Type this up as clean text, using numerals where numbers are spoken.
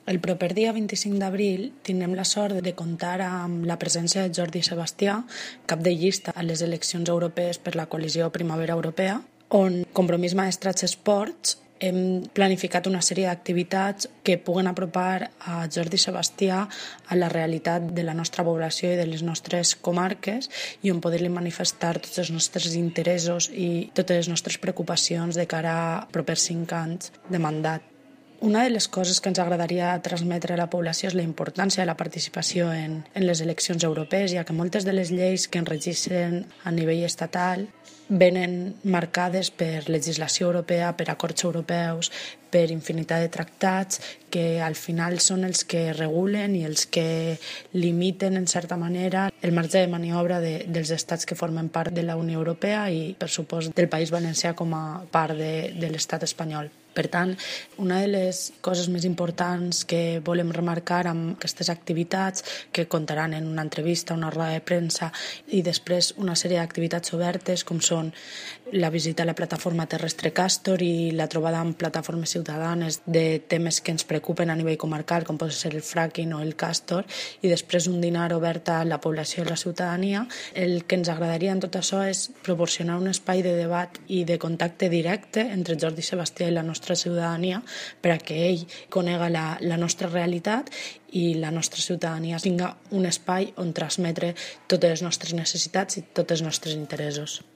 El proper dia 25 d'abril tindrem la sort de comptar amb la presència de Jordi Sebastià, cap de llista a les eleccions europees per la coalició Primavera Europea, on Compromís Maestratge Esports hem planificat una sèrie d'activitats que puguen apropar a Jordi Sebastià a la realitat de la nostra població i de les nostres comarques i on poder-li manifestar tots els nostres interessos i totes les nostres preocupacions de cara a propers 5 anys de mandat. Una de les coses que ens agradaria transmetre a la població és la importància de la participació en les eleccions europees, ja que moltes de les lleis que ens registren a nivell estatal venen marcades per legislació europea, per acords europeus, per infinitat de tractats que al final són els que regulen i els que limiten en certa manera el marge de maniobra dels estats que formen part de la Unió Europea i, per supost, del País Valencià com a part de l'estat espanyol. Per tant, una de les coses més importants que volem remarcar amb aquestes activitats, que comptaran en una entrevista, una roda de premsa i després una sèrie d'activitats obertes, com són la visita a la plataforma terrestre Castor i la trobada amb plataformes ciutadanes de temes que ens preocupen a nivell comarcal, com pot ser el fracking o el Castor, i després un dinar obert a la població i la ciutadania. El que ens agradaria en tot això és proporcionar un espai de debat i de contacte directe entre Jordi Sebastià i la nostra ciutadania per a que ell conega la nostra realitat i la nostra ciutadania tinga un espai on transmetre totes les nostres necessitats i tots els nostres interessos.